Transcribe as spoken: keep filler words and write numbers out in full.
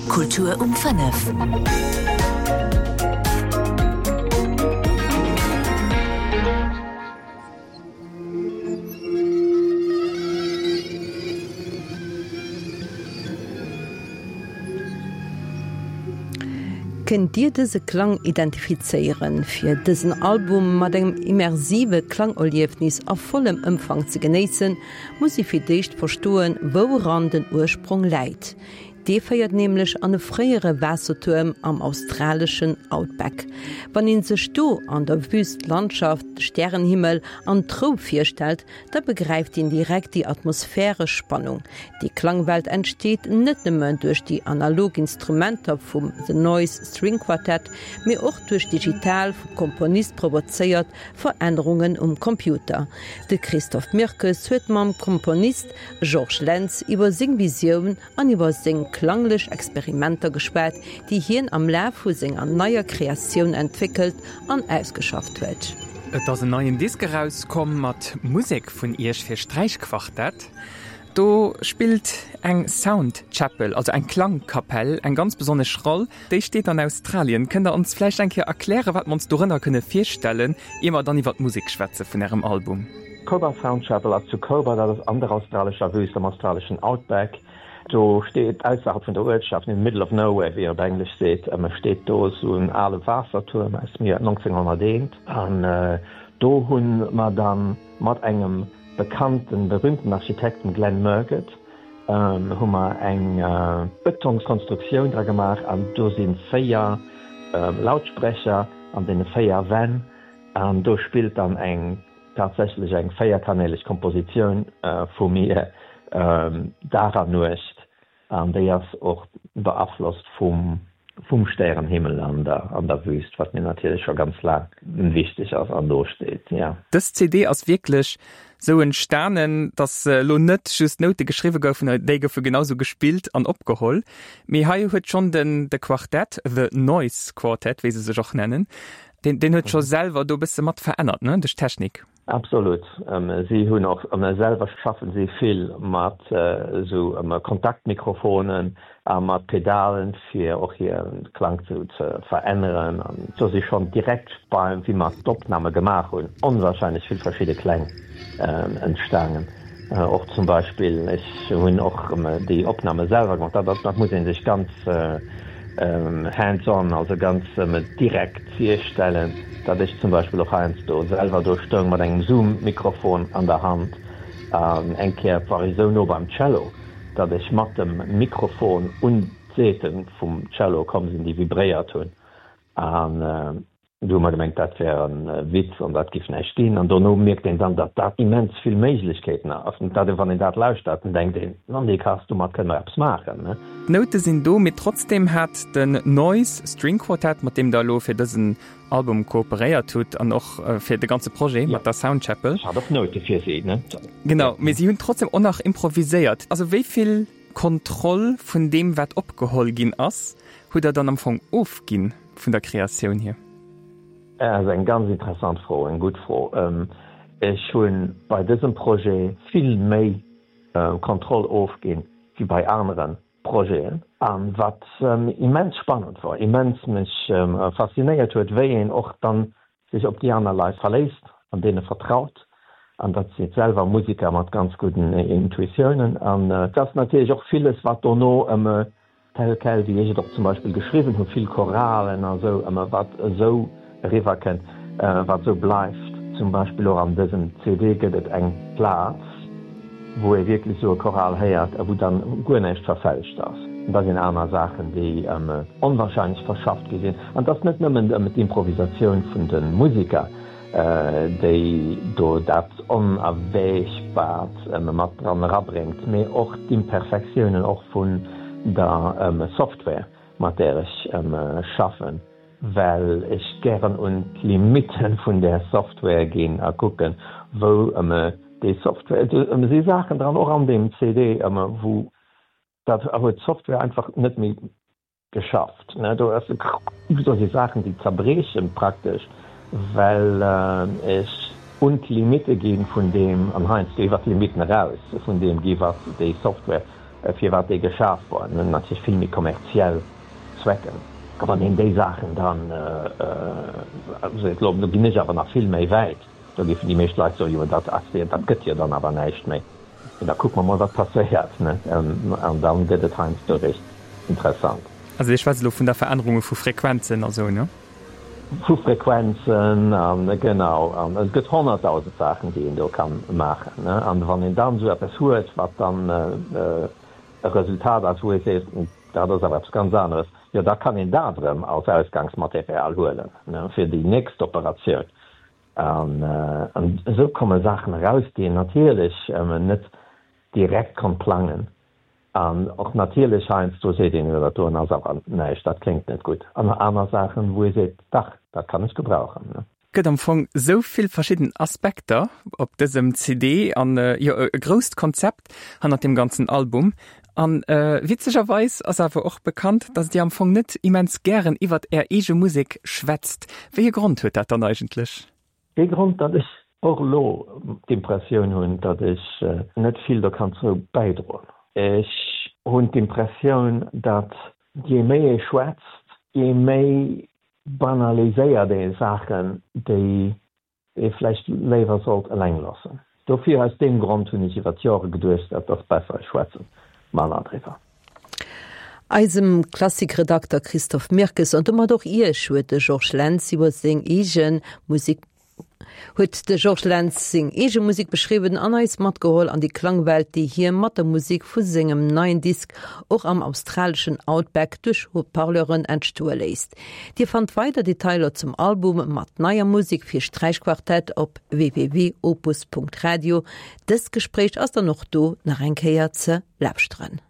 Kultur um fënnef. Kënnt Dir dëse Klang identifizéieren? Fir dësen Album mat engem immersive Klangerliefnis a vollem Ëmfang ze genéissen, muss ee fir d'éischt verstoen, wouran den Ursprong läit. Dee féiert nämlech an e fréiere Waassertuerm am australeschen Outback. Wann ee sech do an der Wüst d'Landschaft, de Stärenhimmel an d'Rou virstellt, da begräift een direkt déi atmosphäresch Spannung. Déi Klangwelt entsteet net nëmmen duerch déi analog Instrumenter vum The Noise String Quartet, mee och duerch digital, vum Komponist provozéiert Verännerungen um Computer. De Christophe Mirkes huet mam Komponist Georges Lentz iwwer seng Visioun an iwwer seng klanglech Experimenter geschwat, déi hien am Laf vu senger neier Kreatioun entwéckelt an ausgeschafft huet. Et ass en neien Disk erauskomm mat Musek vun Iech fir Sträichquartett. Do spillt eng Sound Chapel, also eng Klangkapell, eng ganz besonnesch Roll. Déi steet an Australien. Kënnt Der ons vläicht eng Kéier erklären, wat mer ons dorënner kënne virstellen, ier mer dann iwwer d'Musek schwätze vun Ärem Album? Cobar Sound Chapel ass zu Cobar, dat ass an der australescher Wüst, am australeschen Outback. Do steet ausserhalb vun der Uertschaft, in the middle of nowhere, wéi een op Englesch seet, steet do esou en ale Waassertuerm aus dem Joer neunzehnhunderteent. An do hu mer da mat engem bekannten, berühmten Architekt, dem Glenn Murcutt, hu mer eng Bëtongskonstruktioun dra gemaach an do si véier Lautsprecher an deene véier Wänn an do spillt dann eng tatsächlech eng véierkanäleg Kompositioun vu mir Dag an Nuecht an déi ass och beaflosst vum vum Stärenhimmel an der an der Wüst, wat mir natierlech scho ganz laang wichteg ass an do steet, jo. Dës C D ass wierklech sou entstanen, dass elo net just Noute geschriwwe goufen, déi goufe genau sou gespillt an opgeholl, mee hei huet schonn den de Quartett, The Noise Quartet, wéi se sech och nennen, deen deen huet scho selwer do e bësse mat verännert, ne, duerch d'Technik. Absolut. Si hunn och selwer schaffen si vill mat esou Kontaktmikrofonen a mat Pedalen, fir och hir Klang ze veränneren. An do si schonn direkt beim, wéi mer d'Opname gemaach hunn, onwahrscheinlech vill verschidde Kläng entstanen. Och zum Beispill, ech hunn och déi Opname selwer gemaach, dat dat muss ee sech ganz hands-on, also ganz direkt virstellen, datt ech zum Beispill och heiansdo selwer do stoung mat engem Zoom-Mikrofon an der Hand. An eng Kéier war ech esou no beim Cello, datt ech mat dem Mikrofon un d'Säite vum Cello komm sinn, déi vibréiert hunn. An du hu mer gemengt, dat wär e Witz an dat giff näischt ginn. An dono mierkt een dann, datt dat immens vill Méiglechkeeten eröffnet. Dat wann een dat lauschtert, dann denkt een, Nondikass, domat kënne mer eppes maachen, ne? D'Noute sinn do, mee trotzdem hat den Noise String Quartet, mat deem Der elo fir dësen Album kooperéiert hutt an och fir de ganze Projet mat der Sound Chapel. Ech hat och Noute fir si, ne? Genau, mee si hunn trotzdem och nach improviséiert. Also wéi vill Kontroll vun deem, wat opgeholl ginn ass, hutt Der dann am Fong ofginn vun der Kreatioun hier? Dat ass eng ganz interessant Fro, eng gutt Fro. Ech hu bei dësem Projet vill méi Kontroll ofginn wéi bei anere Projeten. A wat immens spannend wor, immens mech faszinéiert huet, wéi een och dann sech op déi aner Leit verléisst an deene vertraut. An dat si selwer Musiker mat ganz gudden Intuitiounen. An et ass natierlech och villes, wat dono tel quel, wéi ech et och zum Beispill geschriwwen hunn, vill Choralen a sou, ëmmer wat esou eriwwer kënnt, wat esou bleift. Zum Beispill och an dësem C D gëtt et eng Plaz, wou ee wierklech esou e Choral héiert a wou dann guer näischt verfälscht ass. An da sinn aner Saachen, déi onwahrscheinlech verschafft gi sinn. An et ass net nëmmen d'Improvisatioun vun de Musiker, déi do dat Onerwägbart mat dran erabréngt, mee och d'Imperfektiounen och vun der Software, mat där ech schaffen, well ech gären un d'Limitte vun där Software ginn a kucken, wou déi Software, do si Saachen dran, och an deem C D, wou dat huet d'Software einfach net méi geschafft. Do ass do si Saachen, déi zerbriechen praktesch, well ech un d'Limitte gi vun deem, an heiansdo iwwer d'Limitten eraus vun deem gi wat déi Software firwat dee geschaf war. En huet natierlech vill méi kommerziell Zwecken. A wann een déi Saachen dann seet, elo do ginn ech awer nach vill méi wäit, da géifen déi meescht Leit soen, jo dat ass, dat gëtt jo dann awer näischt méi. Mee da kucke mer mol, wat passéiert, ne? An da gëtt et heiansdo eréischt interessant. Also Dir schwätzt elo vun der Verännerunge vu Frequenzen a sou, ne? Vu Frequenzen an, genau. An et gëtt honnertdausend Saachen, déi een do ka maachen, ne? An wann een dann esou eppes huet, wat dann e Resultat ass, wou ee seet, dat ass awer eppes ganz aneres, jo da kann een dat erëm als Ausgangsmaterial huelen, ne, fir déi nächst Operatioun. An esou komme Saachen eraus, déi een natierlech net direkt konnt plangen. An och natierlech heiansdo seet een, jo dat doen ass awer näischt, dat kléngt net gutt. An aner Saachen, wou ee seet, dach, dat kann ech gebrauchen. Gëtt am Fong sou vill verschidden Aspekter op dësem C D an jo e grousst Konzept hannert deem ganzen Album. An witzegerweis ass awer och bekannt, dass Dir am Fong net immens gären iwwert Är eege Musek schwätzt. Wéi e Grond huet dat dann eigentlech? Dee Grond, datt ech och elo d'Impressioun hunn, datt ech net vill do kann zou bäidroen. Ech hunn d'Impressioun, datt jee méi ee schwätzt, jee méi banaliséiert ee Saachen, déi ee vläicht léiwer sollt eleng loossen. Dofir, aus deem Grond hunn ech iwwer d'Jore geduecht, et ass besser ech schwätze manner driwwer. Eisem Klassikredakter Christophe Mirkes an domat och Iech huet de Georges Lentz iwwer seng eege Musek huet de Georges Lentz seng eege Musek beschriwwen an eis matgeholl an déi Klangwelt, déi hie mat der Musek vu sengem neien Disk och am australeschen Outback duerch Haut-parleuren entstoe léisst. Dir fannt weider Detailer zum Album mat neier Musek fir Sträichquartett op www.opus.radio. Dëst Gespréich ass dann och do nach eng Kéier ze lauschteren.